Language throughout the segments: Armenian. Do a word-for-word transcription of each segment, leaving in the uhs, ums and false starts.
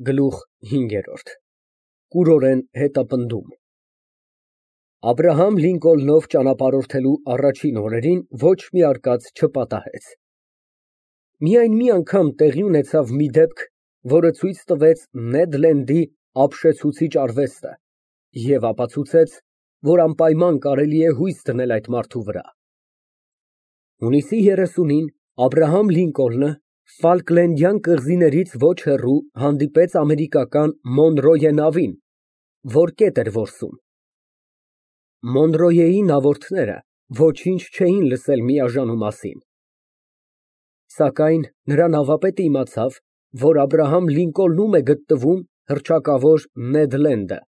Գլուխ հինգերորդ ԿՈՒՐՈՐԵՆ հետապնդում Աբրահամ Լինկոլնով ճանապարհորդելու առաջին օրերին ոչ մի արկած չպատահեց։ Միայն մի անգամ տեղի ունեցավ մի դեպք, որը ցույց տվեց Նեդ Լենդի ապշեցուցիչ արվեստը և ապացուցեց, որ անպայման կարելի է հույս դնել այդ մարդու վրա։ Հունիսի երեսունին Աբրահամ Լինկոլնը Ֆալքլենդյան կղզիներից ոչ հեռու հանդիպեց ամերիկական Մոնրոյե նավին, որ կետ էր որսում։ Մոնրոյեի նավորդները ոչինչ չէին լսել միաժանու մասին։ Սակայն նրա նավապետը իմացավ, որ Աբրահամ Լինկոլնում է գտնվում հռչակավոր Նեդ Լենդը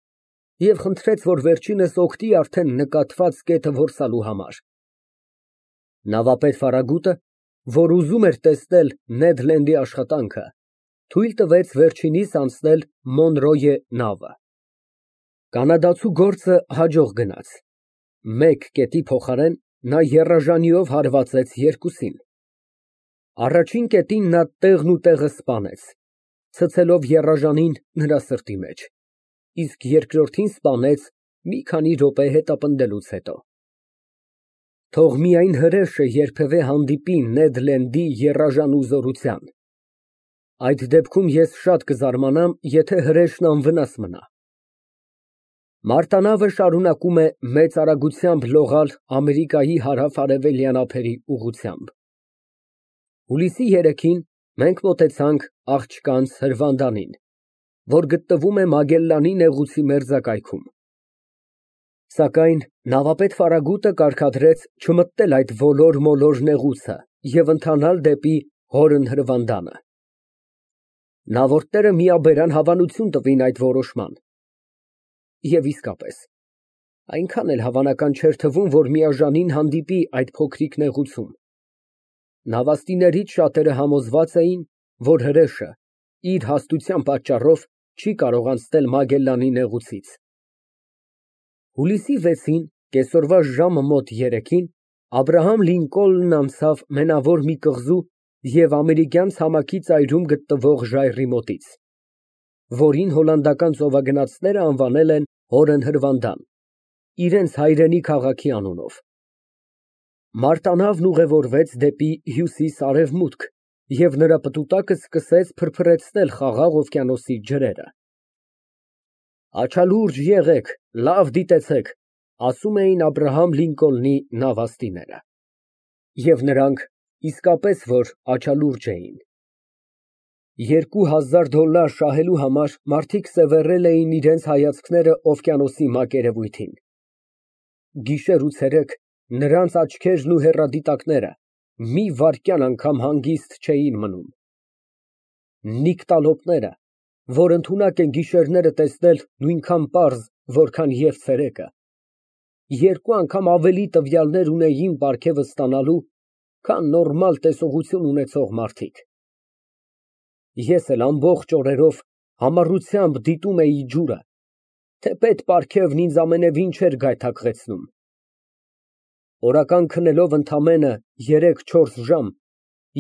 և խնդրեց, որ վերջինս օգնի արդեն նկատված կետը որսալու համար։ Նավապետ Ֆարագուտը, որ ուզում էր տեսնել Նեդ Լենդի աշխատանքը, թույլ տվեց վերջինիս անցնել Մոնրոյե նավը։ Կանադացու գործը հաջող գնաց։ Մեկ կետի փոխարեն նա եռաժանիով հարվածեց երկուսին։ Առաջին կետին նա տեղն ու տեղը սպանեց, ցցելով եռաժանին նրա սրտի մեջ, իսկ երկրորդին սպանեց մի քանի րոպե հետապնդելուց հետո։ Թող միայն հրեշը երբևէ հանդիպի Նեդ Լենդի եռաժանու զորության։ Այդ դեպքում ես շատ կզարմանամ, եթե հրեշն անվնաս մնա։ Մարտանավը շարունակում է մեծ արագությամբ լողալ Ամերիկայի հարավ֊արևելյան ափերի ուղղությամբ։ Հուլիսի երեքին մենք մոտեցանք աղջկանց հրվանդանին, որ գտնվում է Մագելլանի նեղուցի մերձակայքում։ Սակայն նավապետ Ֆարագուտը կարգադրեց չմտնել այդ ոլոր֊մոլոր նեղուցը և ընթանալ դեպի Հորն հրվանդանը։ Նավորդները միաբերան հավանություն տվին այդ որոշման։ Եվ իսկապես, այնքան էլ հավանական չէր թվում, որ միաժանին հանդիպի այդ փոքրիկ նեղուցում։ Նավաստիներից շատերը համոզված էին, որ հրեշը իր հաստության պատճառով չի կարող անցնել Մագելլանի նեղուցից։ Հուլիսի վեցին կեսօրվա ժամը մոտ երեքին Աբրահամ Լինկոլնն անցավ մենավոր մի կղզու և ամերիկյան ցամաքի ծայրում գտնվող ժայռի մոտից, որին հոլանդական ծովագնացները անվանել են Հորն հրվանդան, իրենց հայրենի քաղաքի անունով։ Մարտանավն ուղևորվեց դեպի հյուսիս֊արևմուտք և նրա պտուտակը սկսեց փրփրեցնել Խաղաղ օվկիանոսի ջրերը։ Աչալուրջ եղեք, լավ դիտեցեք, ասում էին Աբրահամ Լինկոլնի նավաստիները։ Եվ նրանք իսկապես որ աչալուրջ էին։ Երկու հազար դոլար շահելու համար մարդիկ սևեռել էին իրենց հայացքները օվկիանոսի մակերևույթին։ Գիշեր ու ցերեկ նրանց աչքերն ու հեռադիտակները մի վայրկյան անգամ հանգիստ չէին մնում։ Նիկտալոպները, որ ընդունակ են գիշերները տեսնել նույնքան պարզ, որքան և ցերեկը, երկու անգամ ավելի տվյալներ ունեին պարգևը ստանալու, քան նորմալ տեսողություն ունեցող մարդիկ։ Ես էլ ամբողջ օրերով համառությամբ դիտում էի ջուրը, թեպետ պարգևն ինձ ամենևին չէր գայթակղեցնում։ Օրական քնելով ընդամենը երեք֊չորս ժամ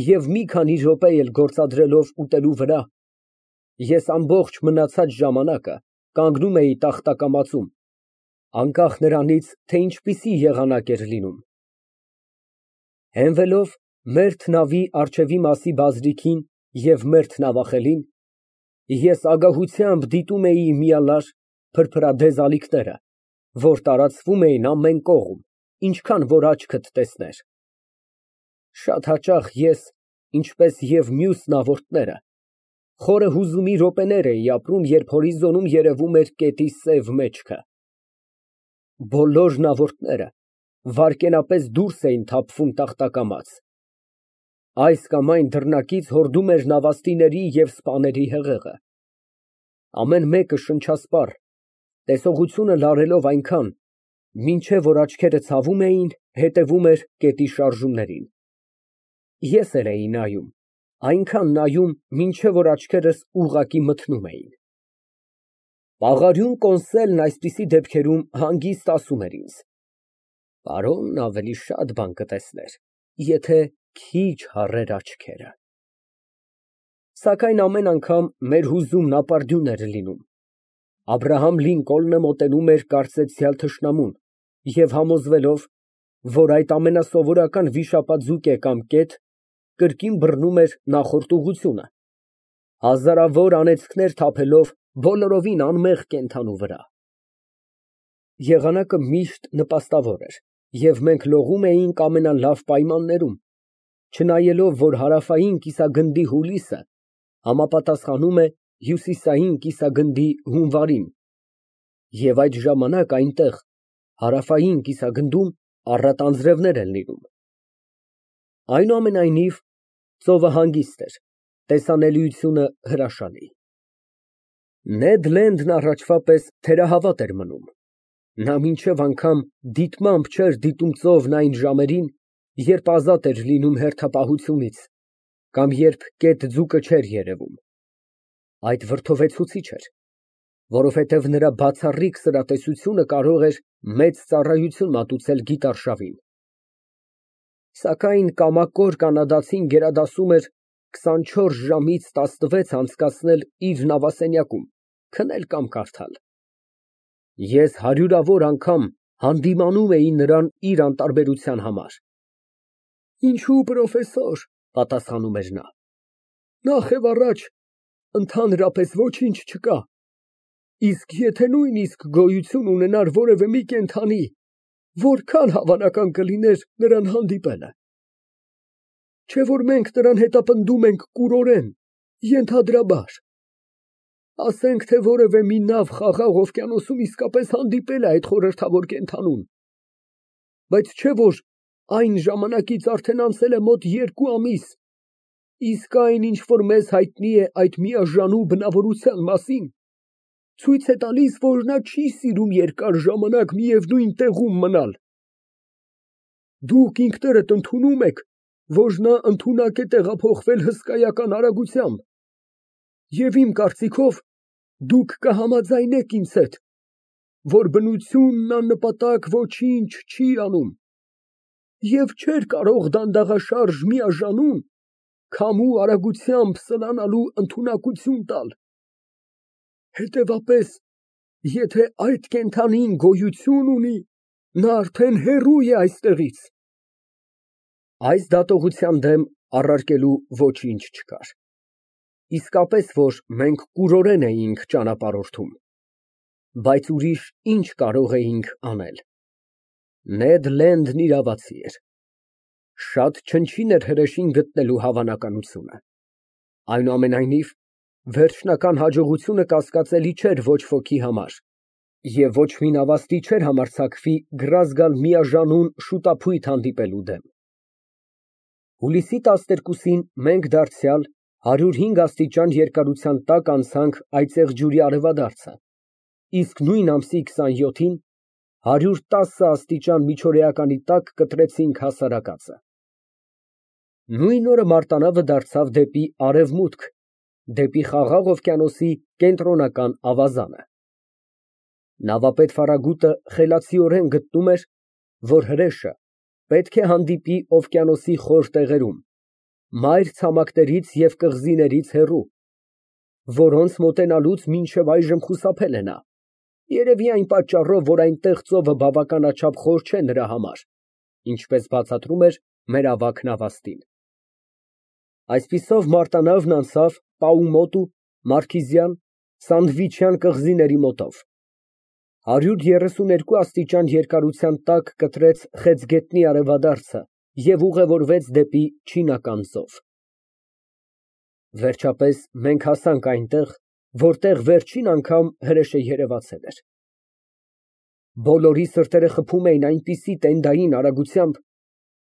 և մի քանի րոպե էլ գործադրելով ուտելու վրա, ես ամբողջ մնացած ժամանակը կանգնում էի տախտակամածում, անկախ նրանից, թե ինչպիսի եղանակ էր լինում։ Հենվելով մերթ նավի առջևի մասի բազրիքին և մերթ նավախելին, ես ագահությամբ դիտում էի միալար փրփրադեզ ալիքները, որ տարածվում էին ամեն կողմ, ինչքան որ աչքդ տեսներ։ Շատ հաճախ ես, ինչպես և մյուս նավորդները, խորը հուզումի րոպեներ էի ապրում, երբ հորիզոնում երևում էր գետի սև մեջքը։ Բոլոր նավորդները վայրկենապես դուրս էին թափվում տախտակամած։ Այս կամ այն դռնակից հորդում էր նավաստիների և սպաների հեղեղը։ Ամեն մեկը շնչասպառ, տեսողությունը լարելով այնքան, մինչև որ աչքերը ցավում էին, հետևում էր գետի շարժումներին։ Ես էլ էի նայում, այնքան նայում, մինչև որ աչքերս ուղղակի մթնում էին։ Պաղարյուն կոնսելն այսպիսի դեպքերում հանգիստ ասում էր ինձ. «Պարոնն ավելի շատ բան կտեսներ, եթե քիչ հառեր աչքերը»։ Սակայն ամեն անգամ մեր հուզումն ապարդյուն էր լինում։ Աբրահամ Լինկոլնը մոտենում էր կարծեցյալ թշնամուն և համոզվելով, որ այդ ամենասովորական վիշապաձուկ է կամ կետ, կրկին բռնում էր նախորդ ուղղությունը, հազարավոր անեծքներ թափելով բոլորովին անմեղ կենդանու վրա։ Եղանակը միշտ նպաստավոր էր, և մենք լողում էինք ամենալավ պայմաններում, չնայելով, որ հարավային կիսագնդի հուլիսը համապատասխանում է հյուսիսային կիսագնդի հունվարին, և այդ ժամանակ այնտեղ, հարավային կիսագնդում, առատ անձրևներ են լինում։ Այնուամենայնիվ, ծովը հանգիստ էր, տեսանելիությունը հրաշալի։ Նեդ Լենդն առաջվա պես թերահավատ էր մնում։ Նա մինչև անգամ դիտմամբ չէր դիտում ծովն այն ժամերին, երբ ազատ էր լինում հերթապահությունից, կամ երբ կետ ձուկը չէր երևում։ Այդ վրդովեցուցիչ էր, որովհետև նրա բացառիկ սրատեսությունը կարող էր մեծ ծառայություն մատուցել գիտարշավին։ Սակայն կամակոր կանադացին գերադասում էր քսանչորս ժամից տասնվեց անցկացնել իր նավասենյակում, քնել կամ կարդալ։ Ես հարյուրավոր անգամ հանդիմանում էի նրան իր անտարբերության համար։ Ինչո՞ւ, պրոֆեսոր, պատասխանում էր նա, նախ և առաջ ընդհանրապես ոչինչ չկա, իսկ եթե նույնիսկ գոյություն ունենար որևէ մի կենդանի, որքան հավանական կլիներ նրան հանդիպելը։ Չէ՞ որ մենք նրան հետապնդում ենք կուրորեն, ենթադրաբար։ Ասենք, թե որևէ մի նավ Խաղաղ օվկիանոսում իսկապես հանդիպել է այդ խորհրդավոր կենդանուն, բայց չէ՞ որ այն ժամանակից արդեն անցել է մոտ երկու ամիս, իսկ այն, ինչ որ մեզ հայտնի է այդ միաժանու բնավորության մասին, ցույց է տալիս, որ նա չի սիրում երկար ժամանակ միևնույն տեղում մնալ։ Դուք ինքներդ ընդունում եք, որ նա ընդունակ է տեղափոխվել հսկայական արագությամբ, և իմ կարծիքով, դուք կհամաձայնեք ինձ հետ, որ բնությունն աննպատակ ոչինչ չի անում և չէր կարող դանդաղաշարժ միաժամանուն քամու արագությամբ սլանալու ընդունակություն տալ։ Հետևաբար, եթե այդ կենդանին գոյություն ունի, նա արդեն հեռու է այստեղից։ Այս դատողության դեմ առարկելու ոչինչ չկար։ Իսկապես, որ մենք կուրորեն էինք ճանապարհորդում, բայց ուրիշ ինչ կարող էինք անել։ Նեդ Լենդն իրավացի էր։ Շատ չնչին էր հրեշին գտնելու հավանականությունը։ Այնուամենայնիվ, վերջնական հաջողությունը կասկածելի չէր ոչ ոքի համար, և ոչ մի նավաստի չէր համարձակվի գրազ գալ միաժանուն շուտափույթ հանդիպելու դեմ։ Հուլիսի տասներկուսին մենք դարձյալ հարյուր հինգ աստիճան երկարության տակ անցանք այծեղ ջուրի արևադարձը, իսկ նույն ամսի քսանյոթին հարյուր տասը աստիճան միջօրեականի տակ կտրեցինք հասարակածը։ Նույն օրը մարտանավը դարձավ դեպի արևմուտք, դեպի Խաղաղ օվկիանոսի կենտրոնական ավազանը։ Նավապետ Ֆարագուտը խելացիորեն գտնում էր, որ հրեշը պետք է հանդիպի օվկիանոսի խոր տեղերում, մայր ցամաքներից և կղզիներից հեռու, որոնց մոտենալուց մինչև այժմ խուսափել է նա, երևի այն պատճառով, որ այնտեղ ծովը բավականաչափ խոր չէ նրա համար, ինչպես բացատրում էր մեր ավագ նավաստին։ Այսպիսով մարտանավն անցավ Պաումոտու, Մարքիզյան, Սանդվիչյան կղզիների մոտով, հարյուր երեսուներկու աստիճան երկարության տակ կտրեց Խեցգետնի արևադարձը և ուղևորվեց դեպի Չինական ծով։ Վերջապես մենք հասանք այնտեղ, որտեղ վերջին անգամ հրեշը երևացել էր։ Բոլորի սրտերը խփում էին այնպիսի տենդային արագությամբ,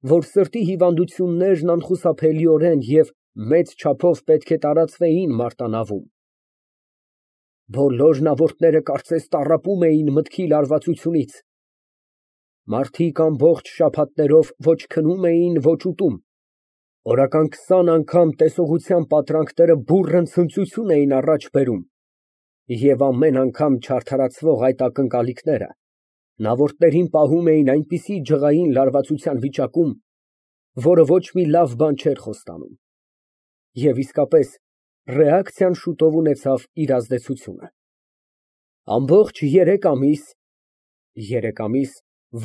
որ սրտի հիվանդություններն անխուսափելիորեն և մեծ չափով պետք է տարածվեին մարտանավում։ Բոլոր նավորդները կարծես տառապում էին մտքի լարվածությունից։ Մարդիկ ամբողջ շաբաթներով ոչ քնում էին, ոչ ուտում, օրական քսան անգամ տեսողության պատրանքները բուռն ցնծություն էին առաջ բերում, և ամեն անգամ չարդարացվող այդ ակնկալիքները նավորդներին պահում էին այնպիսի ջղային լարվածության վիճակում, որը ոչ մի լավ բան չէր խոստանում։ Եվ իսկապես, Ռեակցիան շուտով ունեցավ իր ազդեցությունը։ Ամբողջ երեք ամիս, երեք ամիս,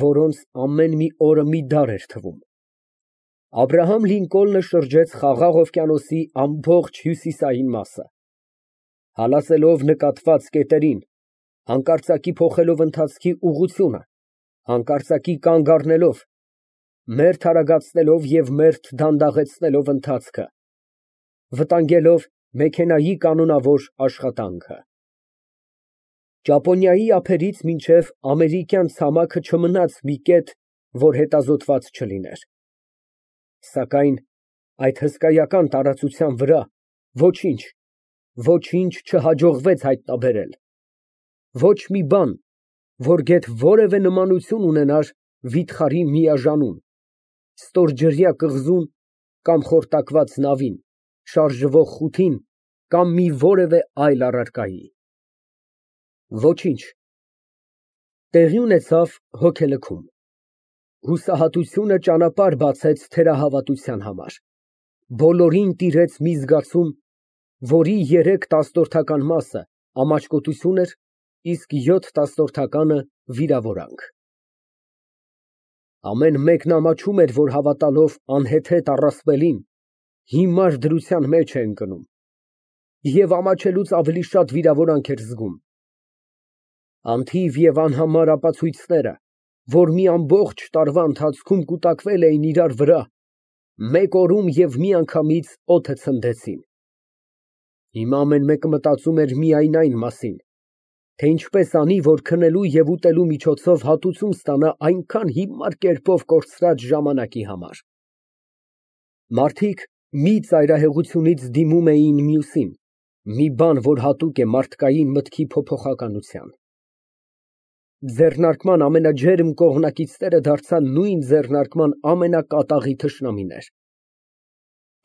որոնց ամեն մի օրը մի դար էր թվում, Աբրահամ Լինկոլնը շրջեց Խաղաղ օվկիանոսի ամբողջ հյուսիսային մասը, հալածելով նկատված կետերին, հանկարծակի փոխելով ընթացքի ուղղությունը, հանկարծակի կանգ առնելով, մերթ արագացնելով և մերթ դանդաղեցնելով ընթացքը, վտանգելով մեքենայի կանոնավոր աշխատանքը։ Ճապոնիայի ափերից մինչև ամերիկյան ցամաքը չմնաց մի կետ, որ հետազոտված չլիներ, սակայն այդ հսկայական տարածության վրա ոչինչ, ոչինչ չհաջողվեց հայտնաբերել, ոչ մի բան, որ գեթ որևէ նմանություն ունենար վիթխարի միաժանուն, ստորջրյա կղզուն կամ խորտակված նավին, շարժվող խութին կամ մի որևէ այլ առարկայի։ Ոչինչ։ Տեղի ունեցավ հոգելքում։ Հուսահատությունը ճանապարհ բացեց թերահավատության համար։ Բոլորին տիրեց մի զգացում, որի երեք տասնորդական մասը ամաչկոտություն էր, իսկ յոթ տասնորդականը վիրավորանք։ Ամեն մեկն ամաչում էր, որ հավատալով անհեթեթ առասպելին, հիմար դրության մեջ է ընկնում, և ամաչելուց ավելի շատ վիրավորանք էր զգում։ Անթիվ և անհամար ապացույցները, որ մի ամբողջ տարվա ընթացքում կուտակվել էին իրար վրա, մեկ օրում և միանգամից օդը ցնդեցին։ Հիմա ամեն մեկը մտածում էր միայն այն մասին, թե ինչպես անի, որ քնելու և ուտելու միջոցով հատուցում ստանա այնքան հիմար կերպով կորցրած ժամանակի համար։ Մարդիկ մի ծայրահեղությունից դիմում էին մյուսին, մի բան, որ հատուկ է մարդկային մտքի փոփոխականության։ Ձեռնարկման ամենաջերմ կողմնակիցները դարձան նույն ձեռնարկման ամենակատաղի թշնամիներ։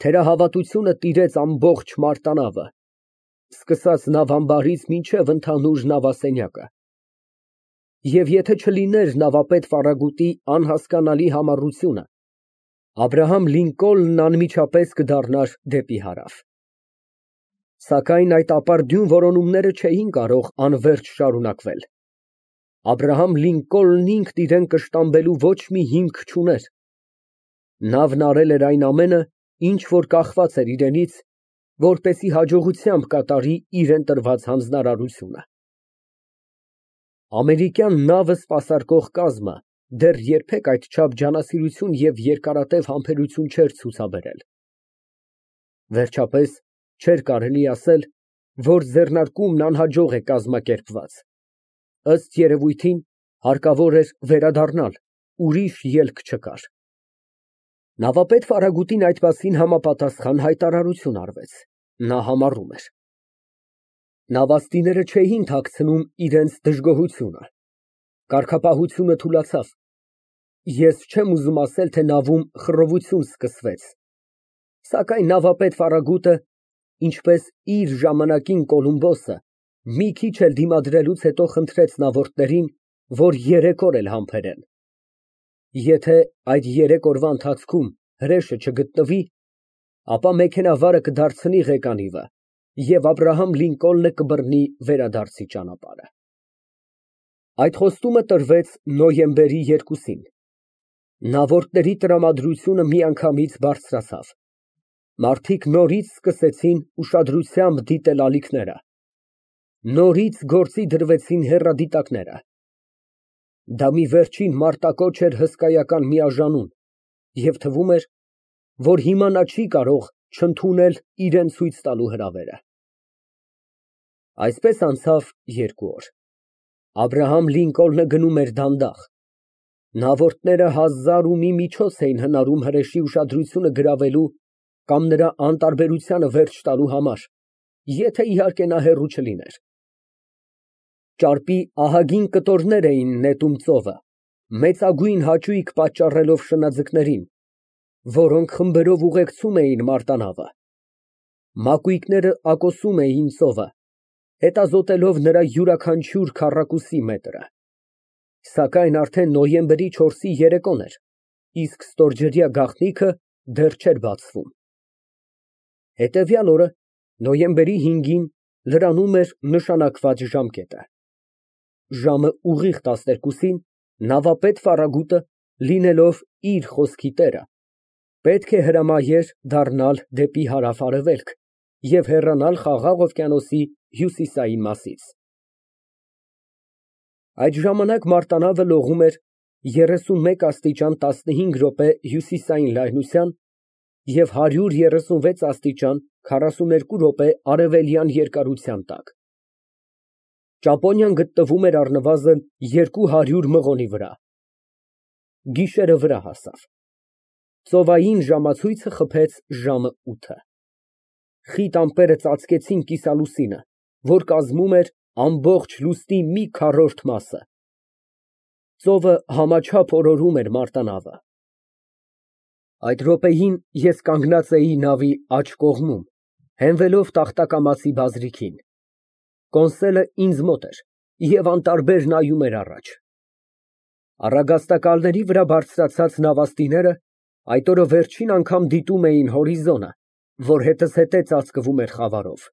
Թերահավատությունը տիրեց ամբողջ մարտանավը, սկսած նավամբարից մինչև ընդհանուր նավասենյակը։ Եվ եթե չլիներ նավապետ Ֆարագուտի անհասկանալի համառությունը, Աբրահամ Լինկոլնն անմիջապես կդառնար դեպի հարավ։ Սակայն այդ ապարդյուն որոնումները չէին կարող անվերջ շարունակվել։ Աբրահամ Լինկոլնն ինքն իրան կշտամբելու ոչ մի հիմք չուներ։ Նավն արել էր այն ամենը, ինչ որ կախված էր իրենից, որպեսզի հաջողությամբ կատարի իրան տրված հանձնարարությունը։ Ամերիկյան նավը սպասարկող կազմը դեռ երբեք այդչափ ջանասիրություն և երկարատև համբերություն չէր ցուցաբերել։ Վերջապես, չէր կարելի ասել, որ ձեռնարկումն անհաջող է կազմակերպված։ Ըստ երևույթին, հարկավոր էր վերադառնալ, ուրիշ ելք չկար։ Նավապետ Ֆարագուտին այդ մասին համապատասխան հայտարարություն արվեց, նա համառում էր։ Նավաստիները չէին թաքցնում իրենց դժգոհությունը։ Կարգապահությունը թուլացավ։ Ես չեմ ուզում ասել, թե նավում խռովություն սկսվեց, սակայն նավապետ Ֆարագուտը, ինչպես իր ժամանակին Կոլումբոսը, մի քիչ էլ դիմադրելուց հետո խնդրեց նավորդներին, որ երեք օր էլ համբերեն։ Եթե այդ երեք օրվա ընթացքում հրեշը չգտնվի, ապա մեքենավարը կդարձնի ղեկանիվը, և Աբրահամ Լինկոլնը կբռնի վերադարձի ճանապարհը։ Այդ խոստումը տրվեց նոյեմբերի երկուսին։ Նավորդների տրամադրությունը միանգամից բարձրացավ։ Մարդիկ նորից սկսեցին ուշադրությամբ դիտել ալիքները։ Նորից գործի դրվեցին հեռադիտակները։ Դա մի վերջին մարտակոչ էր հսկայական միաժամանուն, և թվում էր, որ հիմա նա չի կարող չընդունել իրան ցույց տալու հրավերը։ Այսպես անցավ երկու օր։ Աբրահամ Լինկոլնը գնում էր դանդաղ։ Նավորդները հազար ու մի միջոց էին հնարում հրեշի ուշադրությունը գրավելու կամ նրա անտարբերությանը վերջ տալու համար, եթե իհարկե նա հեռու չլիներ։ Ճարպի ահագին կտորներ էին նետում ծովը, մեծագույն հաճույք պատճառելով շնաձկներին, որոնք խմբերով ուղեկցում էին մարտանավը։ Մակույկները ակոսում էին ծովը, հետազոտելով նրա յուրաքանչյուր քառակուսի մետրը։ Սակայն արդեն նոյեմբերի չորսի երեկոն էր, իսկ ստորջրյա գաղտնիքը դեռ չէր բացվում։ Հետևյալ օրը Նոյեմբերի հինգին լրանում էր նշանակված ժամկետը։ Ժամը ուղիղ տասներկուսին նավապետ Ֆարագուտը, լինելով իր խոսքի տերը, պետք է հրամայեր դառնալ դեպի հարավ֊արևելք և հեռանալ Խաղաղ օվկիանոսի հյուսիսային մասից։ Այդ ժամանակ մարտանավը լողում էր երեսունմեկ աստիճան տասնհինգ րոպե հյուսիսային լայնության և հարյուր երեսունվեց աստիճան քառասուներկու րոպե արևելյան երկարության տակ։ Ճապոնիան գտնվում էր առնվազն երկու հարյուր մղոնի վրա։ Գիշերը վրա հասավ։ Ծովային ժամացույցը խփեց ժամը ութը։ Խիտ ամպերը ծածկեցին կիսալուսինը, որ կազմում էր ամբողջ լուսնի մի քառորդ մասը։ Ծովը համաչափ օրորում էր մարտանավը։ Այդ րոպեին ես կանգնած էի նավի աջ կողմում, հենվելով տախտակամածի բազրիքին։ Կոնսոլը ինձ մոտ էր և անտարբեր նայում էր առաջ։ Առագաստակալների վրա բարձրացած նավաստիները այդ օրը վերջին անգամ դիտում էին հորիզոնը, որ հետզհետե ծածկվում էր խավարով։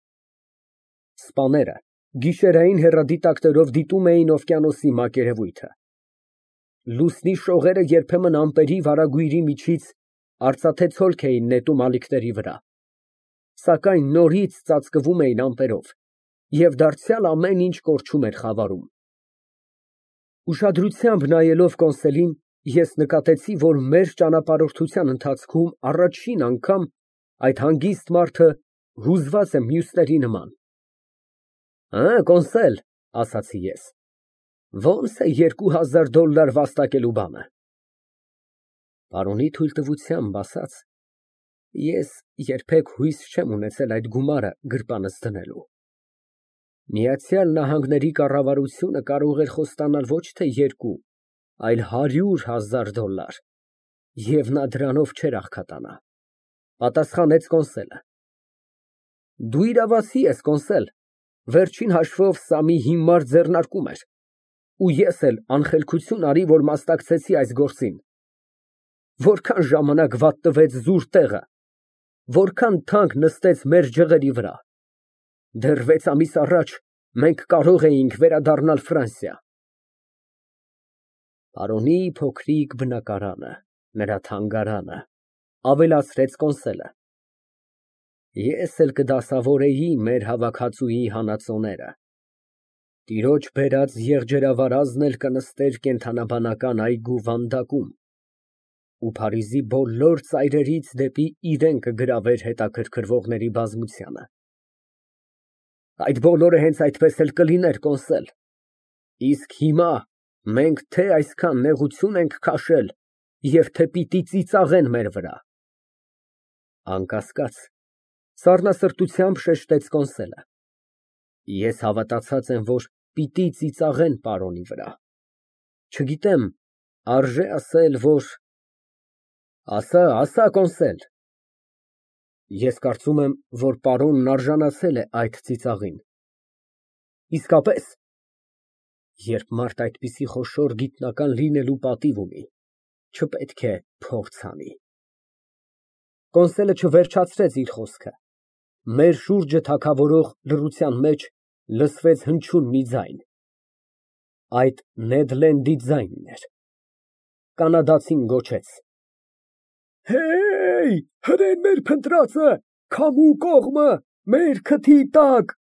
Սպաները գիշերային հեռադիտակներով դիտում էին օվկիանոսի մակերևույթը։ Լուսնի շողերը երբեմն ամպերի վարագույրի միջից արծաթե ցոլք էին նետում ալիքների վրա, սակայն նորից ծածկվում էին ամպերով, և դարձյալ ամեն ինչ կորչում էր խավարում։ Ուշադրությամբ նայելով կոնսոլին, ես նկատեցի, որ մեր ճանապարհորդության ընթացքում առաջին անգամ այդ հանգիստ մարդը հուզված է մյուսների նման։ «Հը, Կոնսել», ասացի ես, «ո՞նց է երկու հազար դոլար վաստակելու բանը»։ Պարոնի թույլտվությամբ ասած, ես երբեք հույս չեմ ունեցել այդ գումարը գրպանս դնելու։ Միացյալ Նահանգների կառավարությունը կարող էր խոստանալ ոչ թե երկու, այլ հարյուր հազար դոլար, և նա դրանով չէր աղքատանա, պատասխանեց կոնսոլը։ Դու իրավացի ես, Կոնսել, վերջին հաշվով սա մի հիմար ձեռնարկում էր, ու ես էլ անխելքություն արի, որ մասնակցեցի այս գործին։ Որքան ժամանակ վատնվեց զուր տեղը, որքան թանկ նստեց մեր ջղերի վրա։ Դեռ վեց ամիս առաջ մենք կարող էինք վերադառնալ Ֆրանսիա։ Պարոնի փոքրիկ բնակարանը, նրա թանգարանը, ավելացրեց կոնսոլը։ Ես էլ կդասավորեի մեր հավաքածուի հանածոները։ Տիրոջ բերած եղջերավարազն էլ կնստեր կենդանաբանական այգու վանդակում, ու Փարիզի բոլոր ծայրերից դեպի իրան կգրավեր հետաքրքրվողների բազմությանը։ Այդ բոլորը հենց այդպես էլ կլիներ, Կոնսել, իսկ հիմա մենք թե այսքան նեղություն ենք քաշել և թե պիտի ծիծաղեն մեր վրա։ Անկասկած, սառնասրտությամբ շեշտեց կոնսոլը, ես հավատացած եմ, որ պիտի ծիծաղեն պարոնի վրա։ Չգիտեմ, արժե ասել, որ… Ասա, ասա, Կոնսել։ Ես կարծում եմ, որ պարոնն արժանացել է այդ ծիծաղին։ Իսկապես, երբ մարդ այդպիսի խոշոր գիտնական լինելու պատիվ ունի, չպետք է փորձ անի։ Կոնսոլը չվերջացրեց իր խոսքը։ Մեր շուրջը թագավորող լռության մեջ լսվեց հնչյուն մի ձայն։ Այդ Նեդ Լենդի ձայնն էր։ Կանադացին գոչեց. Հեյ, հրեն մեր փնտրածը, քամու կողմը, մեր քթի տակ։